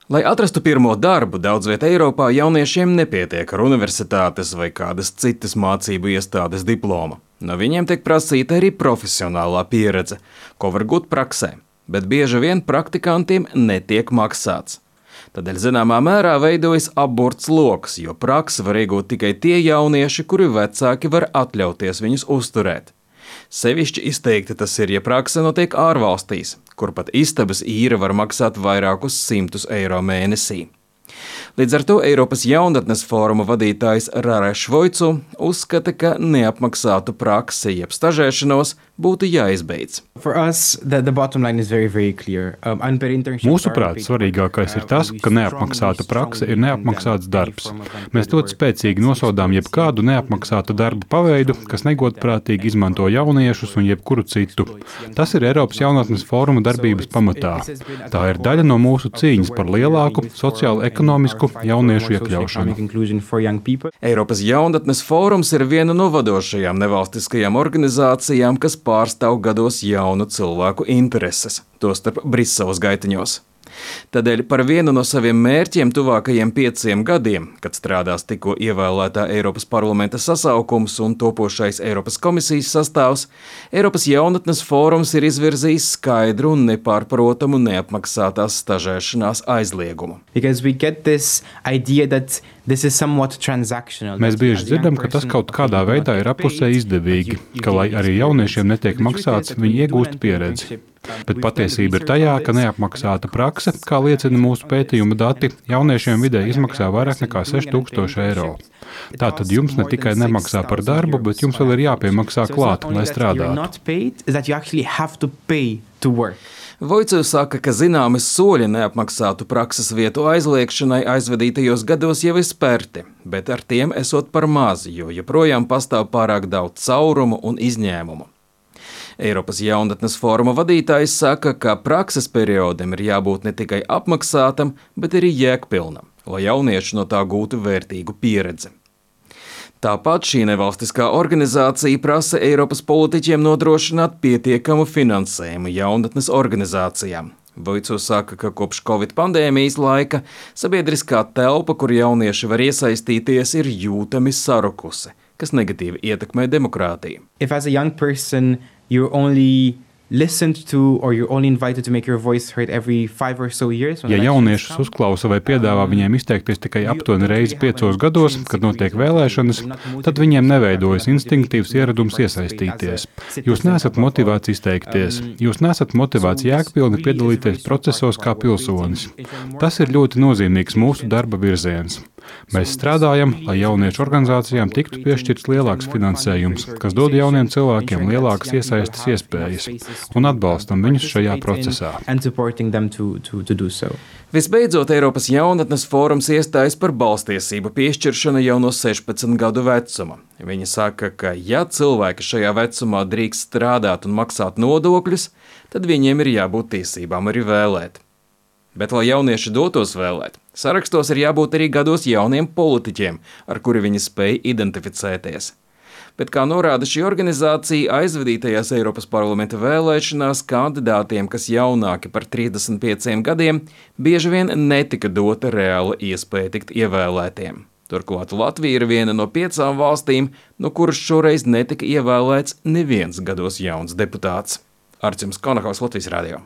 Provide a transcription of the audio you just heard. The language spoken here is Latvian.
Lai atrastu pirmo darbu, daudz vietā Eiropā jauniešiem nepietiek ar universitātes vai kādas citas mācību iestādes diplomu. No viņiem tiek prasīta arī profesionālā pieredze, ko var gūt praksē, bet bieži vien praktikantiem netiek maksāts. Tādēļ zināmā mērā veidojas aburts loks, jo praksi var iegūt tikai tie jaunieši, kuri vecāki var atļauties viņus uzturēt. Sevišķi izteikti tas ir, ja prakse notiek ārvalstīs, kur pat istabas īre var maksāt vairākus simtus eiro mēnesī. Līdz ar to Eiropas jaunatnes fóruma vadītājs Rare Švoicu uzskata, ka neapmaksātu praksi jeb stažēšanos būtu jāizbeidz. Mūsuprāt, svarīgākais ir tas, ka neapmaksāta prakse ir neapmaksāts darbs. Mēs ļoti spēcīgi nosodām jebkādu neapmaksātu darbu paveidu, kas negodprātīgi izmanto jauniešus un jebkuru citu. Tas ir Eiropas jaunatnes fóruma darbības pamatā. Tā ir daļa no mūsu cīņas par lielāku sociālo-ekonomisku jauniešu iekļaušanu. Eiropas jaunatnes fórums ir viena no vadošajām nevalstiskajām organizācijām, kas pārstāv gados jaunu cilvēku intereses, tostarp Briseles gaitiņos. Tādēļ par vienu no saviem mērķiem tuvākajiem 5 gadiem, kad strādās tikko ievēlētā Eiropas parlamenta sasaukums un topošais Eiropas komisijas sastāvs, Eiropas jaunatnes fórums ir izvirzījis skaidru un nepārprotamu neapmaksātās stažēšanās aizliegumu. Mēs bieži dzirdam, ka tas kaut kādā veidā ir apusē izdevīgi, ka, lai arī jauniešiem netiek maksāts, viņi iegūst pieredzi. Bet patiesība ir tajā, ka neapmaksāta prakse, kā liecina mūsu pētījuma dati, jauniešiem vidēji izmaksā vairāk nekā 6000 eiro. Tātad jums ne tikai nemaksā par darbu, bet jums vēl ir jāpiemaksā klāt, lai strādātu. Voicu saka, ka zināmi soļi neapmaksātu prakses vietu aizliekšanai aizvadītajos gados jau ir spērti, bet ar tiem esot par maz, jo joprojām pastāv pārāk daudz caurumu un izņēmumu. Eiropas jaunatnes fóruma vadītājs saka, ka prakses periodam ir jābūt ne tikai apmaksātam, bet arī jēgpilnam, lai jaunieši no tā gūtu vērtīgu pieredzi. Tāpat šī nevalstiskā organizācija prasa Eiropas politiķiem nodrošināt pietiekamu finansējumu jaunatnes organizācijām. Voicu saka, ka kopš Covid pandēmijas laika sabiedriskā telpa, kur jaunieši var iesaistīties, ir jūtami sarukusi, kas negatīvi ietekmē demokrātiju. Ja jauniešus uzklausa vai piedāvā viņiem izteikties tikai aptuveni reizi 5 gados, kad notiek vēlēšanas, tad viņiem neveidojas instinktīvs ieradums iesaistīties. Jūs neesat motivēti izteikties, jūs neesat motivēti jēgpilni piedalīties procesos kā pilsonis. Tas ir ļoti nozīmīgs mūsu darba virziens. Mēs strādājam, lai jauniešu organizācijām tiktu piešķirts lielāks finansējums, kas dod jauniem cilvēkiem lielākas iesaistes iespējas un atbalstam viņus šajā procesā. Visbeidzot, Eiropas jaunatnes fórums iestājas par balstiesību piešķiršanu jau no 16 gadu vecuma. Viņi saka, ka ja cilvēki šajā vecumā drīkst strādāt un maksāt nodokļus, tad viņiem ir jābūt tiesībām arī vēlēt. Bet, lai jaunieši dotos vēlēt, sarakstos ir jābūt arī gados jauniem politiķiem, ar kuri viņi spēj identificēties. Bet, kā norāda šī organizācija, aizvadītajās Eiropas parlamenta vēlēšanās kandidātiem, kas jaunāki par 35 gadiem, bieži vien netika dota reāla iespēja tikt ievēlētiem. Turklāt Latvija ir viena no 5 valstīm, no kuras šoreiz netika ievēlēts neviens gados jauns deputāts. Arčuns Konahaus, Latvijas radio.